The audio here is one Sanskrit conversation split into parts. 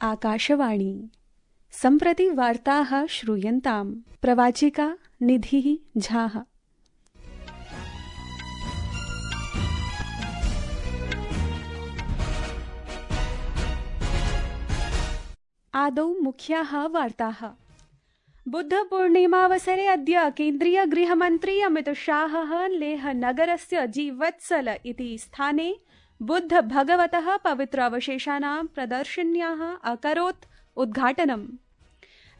आकाशवाणी। सम्प्रति वार्ताः श्रूयन्ताम्। प्रवाचिका निधिः झाः। आदौ मुख्याः वार्ताः। बुद्धपूर्णिमावसरे अद्य केन्द्रीय गृहमन्त्री अमितशाहः लेहनगरस्य जीवत्सल इति स्थाने बुद्ध भगवतः पवित्र अवशेषाणां प्रदर्शन्याः अकरोत् उद्घाटनम्।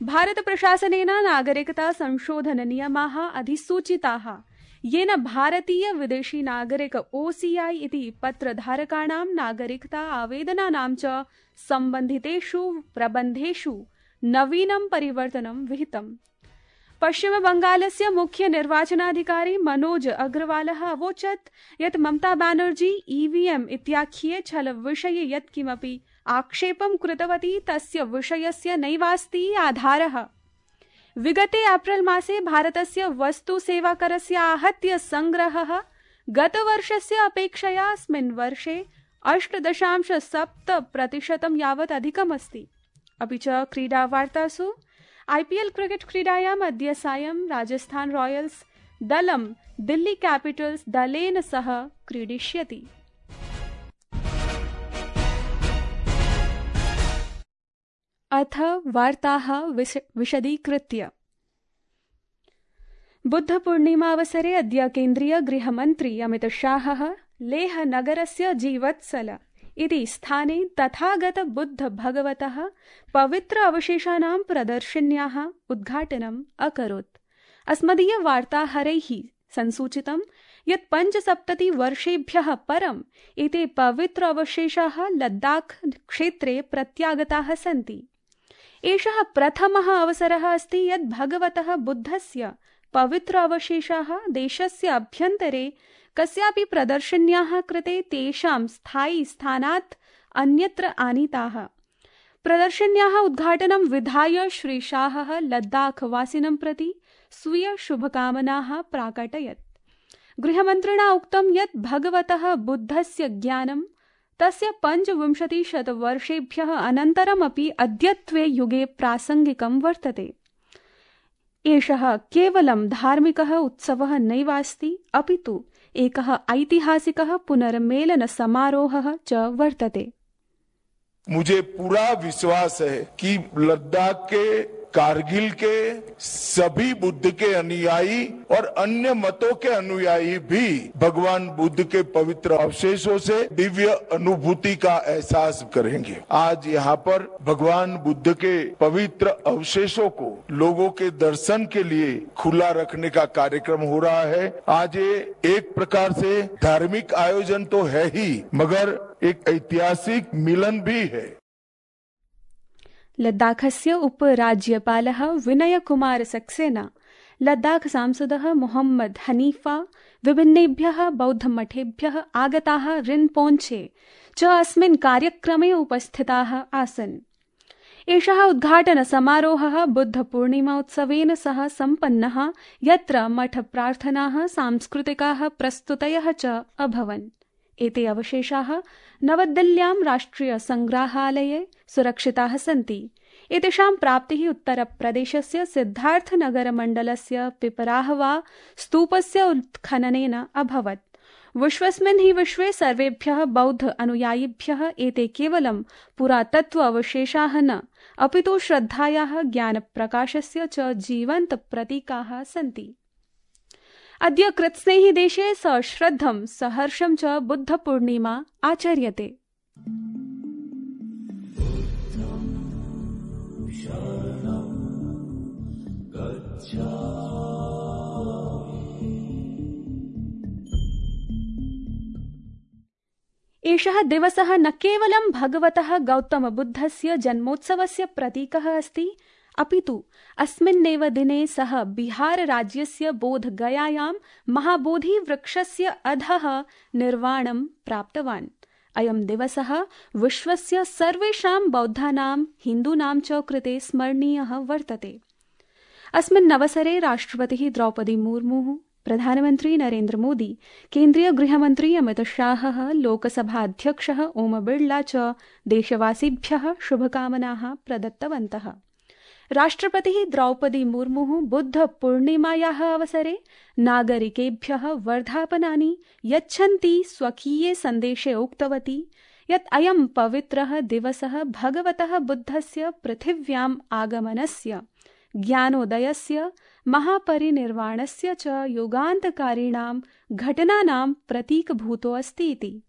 भारत प्रशासनेन नागरिकता संशोधन नियमाः अधिसूचिताः, येन भारतीय विदेशी नागरिक OCI इति पत्रधारकाणां नागरिकता आवेदनानां च सम्बन्धितेषु प्रबन्धेषु नवीनं परिवर्तनं विहितम्। पश्चिमबंगालस्य मुख्य निर्वाचनाधिकारी मनोज अग्रवालः अवोचत् यत् ममता बनर्जी EVM इत्याख्ये छलविषये यत्किमपि आक्षेपं कृतवती तस्य विषयस्य नैवास्ति आधारः। विगते एप्रिल मासे भारतस्य वस्तुसेवाकरस्य आहत्य संग्रहः गतवर्षस्य अपेक्षया अस्मिन् वर्षे 8.7% यावत् अधिकमस्ति। अपि च क्रीडावार्तासु IPL क्रिकेट् क्रीडायाम् अद्य सायं राजस्थान रॉयल्स् दलं दिल्ली कैपिटल्स् दलेन सह क्रीडिष्यति। अथ वार्ताः विशदीकृत्य। बुद्धपूर्णिमावसरे अद्य केन्द्रीय गृहमन्त्री अमितशाहः लेहनगरस्य जीवत्सल इति स्थाने तथागत बुद्ध भगवतः पवित्र अवशेषाणां प्रदर्शन्याः उद्घाटनम् अकरोत्। अस्मदीय वार्ताहरैः संसूचितं यत् 75 वर्षेभ्यः परम् एते पवित्र अवशेषाः लद्दाख क्षेत्रे प्रत्यागताः सन्ति। एषः प्रथमः अवसरः अस्ति यत् भगवतः बुद्धस्य पवित्र अवशेषाः देशस्य अभ्यन्तरे कस्यापि प्रदर्शन्याः कृते तेषां स्थायी स्थानात् अन्यत्र आनीताः। प्रदर्शन्याः उद्घाटनं विधाय श्री शाहः लद्दाखवासिनं प्रति स्वीय शुभकामनाः प्राकटयत्। गृहमन्त्रिणा उक्तं यत् भगवतः बुद्धस्य ज्ञानं तस्य 25 वर्षेभ्यः अनन्तरमपि अद्यत्वे युगे प्रासङ्गिकं वर्तते। एषः केवलं धार्मिकः उत्सवः नैवास्ति, अपितु एकः ऐतिहासिकः पुनर्मेलन समारोहः च वर्तते। मुझे पूरा विश्वास है कि लद्दाख के कारगिल के सभी बुद्ध के अनुयायी और अन्य मतों के अनुयायी भी भगवान बुद्ध के पवित्र अवशेषों से दिव्य अनुभूति का एहसास करेंगे। आज यहाँ पर भगवान बुद्ध के पवित्र अवशेषों को लोगों के दर्शन के लिए खुला रखने का कार्यक्रम हो रहा है। आज ये एक प्रकार से धार्मिक आयोजन तो है ही, मगर एक ऐतिहासिक मिलन भी है। लद्दाखस्य उपराज्यपालः विनय कुमार सक्सेना, लद्दाख सांसदः मोहम्मद हनीफा, विभिन्नेभ्यः बौद्धमठेभ्यः आगताः रिन्पोञ्छे च अस्मिन् कार्यक्रमे उपस्थिताः आसन्। एषः उद्घाटनसमारोहः बुद्धपूर्णिमोत्सवेन सह सम्पन्नः, यत्र मठप्रार्थनाः, सांस्कृतिकाः प्रस्तुतयः च अभवन्। एते अवशेषाः नवदिल्ल्यां राष्ट्रियसङ्ग्रहालये सुरक्षिताः सन्ति। एतेषां प्राप्तिः उत्तरप्रदेशस्य सिद्धार्थनगरमण्डलस्य पिपराहवा स्तूपस्य उत्खननेन अभवत्। विश्वस्मिन् हि विश्वे सर्वेभ्यः बौद्ध अनुयायिभ्यः एते केवलं पुरातत्व अवशेषाः न, अपितु श्रद्धायाः, ज्ञानप्रकाशस्य च जीवन्त प्रतीकाः सन्ति। अद्य कृत्स्नेहि देशे सश्रद्धं सहर्षं च बुद्धपूर्णिमा आचर्यते। एषः दिवसः न केवलं भगवतः गौतमबुद्धस्य जन्मोत्सवस्य प्रतीकः अस्ति, अपितु अस्मिन्नेव दिने सः बिहार राज्यस्य बोधगयायां महाबोधिवृक्षस्य अधः निर्वाणं प्राप्तवान्। अयं दिवसः विश्वस्य सर्वेषां बौद्धानां, हिन्दूनां च कृते स्मरणीयः वर्तते। अस्मिन् अवसरे राष्ट्रपतिः द्रौपदी मुर्मुः, प्रधानमन्त्री नरेन्द्र मोदी, केन्द्रीय गृहमन्त्री अमित शाहः, लोकसभाध्यक्षः ओम बिड़ला च देशवासिभ्यः शुभकामनाः प्रदत्तवन्तः। राष्ट्रपतिः द्रौपदी मुर्मुः बुद्ध पूर्णिमायाः अवसरे नागरिकेभ्यः वर्धापनानि यच्छन्ती स्वकीये सन्देशे उक्तवती यत् अयं पवित्रः दिवसः भगवतः बुद्धस्य पृथिव्याम् आगमनस्य, ज्ञानोदयस्य, महापरिनिर्वाणस्य च युगान्तकारिणां घटनानां प्रतीकभूतोऽस्ति इति।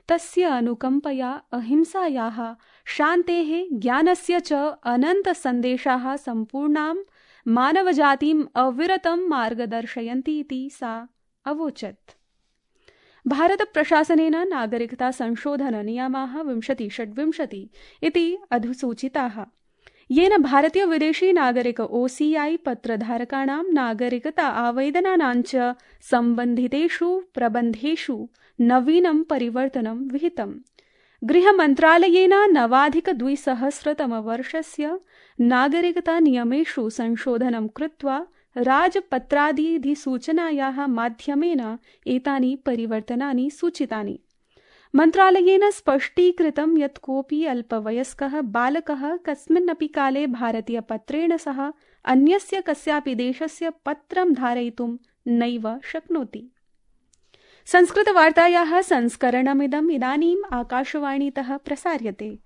तस्य अनुकम्पया अहिंसायाः, शान्तेः, ज्ञानस्य च अनन्तसन्देशाः सम्पूर्णां मानवजातिम् अविरतं मार्गदर्शयन्ति इति सा अवोचत्। भारतप्रशासनेन नागरिकता संशोधन नियमाः 2026 इति अधिसूचिताः, येन भारतीय विदेशी नागरिक OCI पत्रधारकाणां नागरिकता आवेदनानां च सम्बन्धितेषु प्रबन्धेषु नवीनं परिवर्तनं विहितम्। गृहमन्त्रालयेन नवाधिक-2000 नागरिकता नियमेषु संशोधनं कृत्वा राजपत्रादिधिसूचनायाः माध्यमेन एतानि परिवर्तनानि सूचितानि। मन्त्रालयेन स्पष्टीकृतं यत् कोऽपि अल्पवयस्कः बालकः कस्मिन्नपि काले भारतीयपत्रेण सह अन्यस्य कस्यापि देशस्य पत्रं धारयितुं नैव शक्नोति। संस्कृतवार्तायाः संस्करणमिदम् इदानीम् आकाशवाणीतः प्रसार्यते।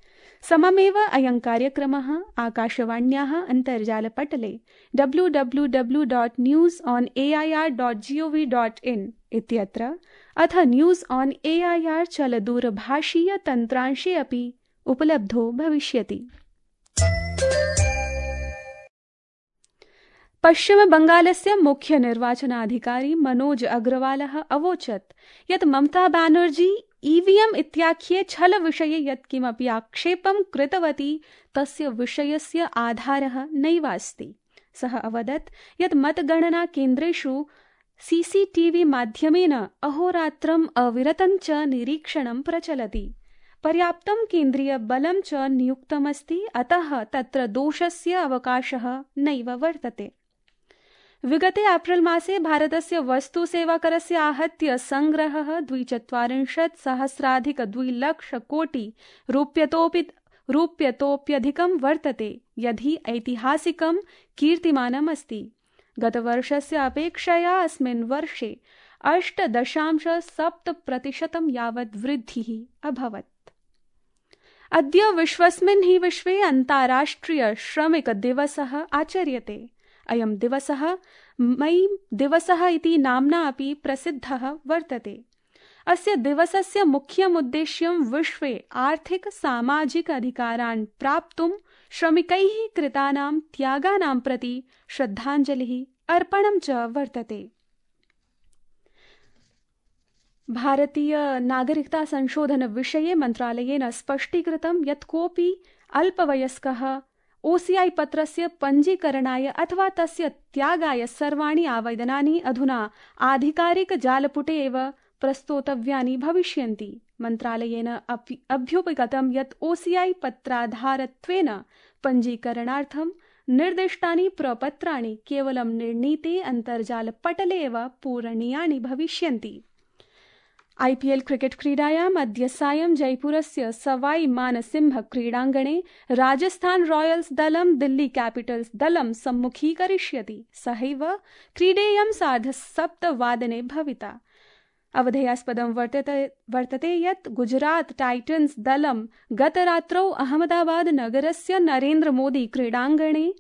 सममेव अयं कार्यक्रमः आकाशवाण्याः अन्तर्जालपटले www.newsonair.gov.in इत्यत्र अथ न्यूज़ ऑन AIR चलदूरभाषीय तन्त्रांशे अपि उपलब्धो भविष्यति। पश्चिमबंगालस्य मुख्य निर्वाचनाधिकारी मनोज अग्रवालः अवोचत् यत् ममता बैनर्जी EVM इत्याख्ये छलविषये यत्किमपि आक्षेपं कृतवती तस्य विषयस्य आधारः नैवास्ति। सः अवदत् यत् मतगणना केन्द्रेषु CCTV माध्यमेन अहोरात्रम् अविरतं च निरीक्षणं प्रचलति। पर्याप्तं केन्द्रीयबलं च नियुक्तमस्ति, अतः तत्र दोषस्य अवकाशः नैव वर्तते। विगते एप्रिल मासे भारतस्य वस्तुसेवाकरस्य आहत्य संग्रहः 42,000,2 कोटि रूप्यतोप्यधिकं वर्तते, यदि ऐतिहासिकं कीर्तिमानमस्ति। गतवर्षस्य अपेक्षया अस्मिन् वर्षे 8.7% यावत् वृद्धिः अभवत्। अद्य विश्वस्मिन् हि विश्वे अन्ताराष्ट्रिय श्रमिक दिवसः आचर्यते। अयं दिवसः मई दिवसः इति नाम्ना अपि प्रसिद्धः वर्तते। अस्य दिवसस्य मुख्यमुद्देश्यं विश्वे आर्थिक सामाजिक अधिकारान् प्राप्तुं श्रमिकैः कृतानां त्यागानां प्रति श्रद्धाञ्जलिः अर्पणं च वर्तते। भारतीय नागरिकता संशोधन विषये मन्त्रालयेन स्पष्टीकृतं यत् कोऽपि अल्पवयस्कः OCI पत्रस्य पञ्जीकरणाय अथवा तस्य त्यागाय सर्वाणि आवेदनानि अधुना आधिकारिकजालपुटे एव प्रस्तोतव्यानि भविष्यन्ति। मन्त्रालयेन अभ्युपगतं यत् OCI पत्राधारत्वेन पञ्जीकरणार्थं निर्दिष्टानि प्रपत्राणि केवलं निर्णीते अन्तर्जालपटले एव पूरणीयानि भविष्यन्ति। IPL क्रिकेट क्रीडायाम् अद्य सायं जयपुरस्य सवाई मानसिंह क्रीडाङ्गणे राजस्थान रॉयल्स दलं दिल्ली कैपिटल्स दलं सम्मुखीकरिष्यति। सहैव क्रीडेयं 7:30 भविता। अवधेयास्पदं वर्तते यत् गुजरात टाइटन्स दलं गतरात्रौ अहमदाबाद नगरस्य नरेन्द्र मोदी क्रीडाङ्गणे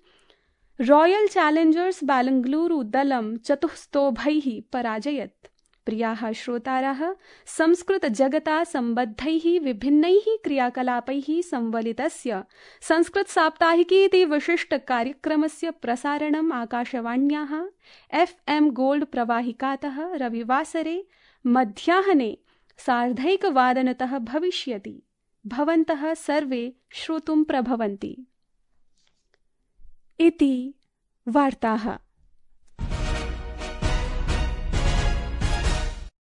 रॉयल चैलेंजर्स बेंगलुरु दलं 4-0 पराजयत्। प्रियाः श्रोतारः, संस्कृत जगता सम्बद्धैः विभिन्नैः क्रियाकलापैः संवलितस्य संस्कृत साप्ताहिकी इति विशिष्ट कार्यक्रमस्य प्रसारणम् आकाशवाण्याः FM गोल्ड प्रवाहिकातः रविवासरे मध्याह्ने 1:30 भविष्यति। भवन्तः सर्वे श्रोतुं प्रभवन्ति। इति वार्ताः।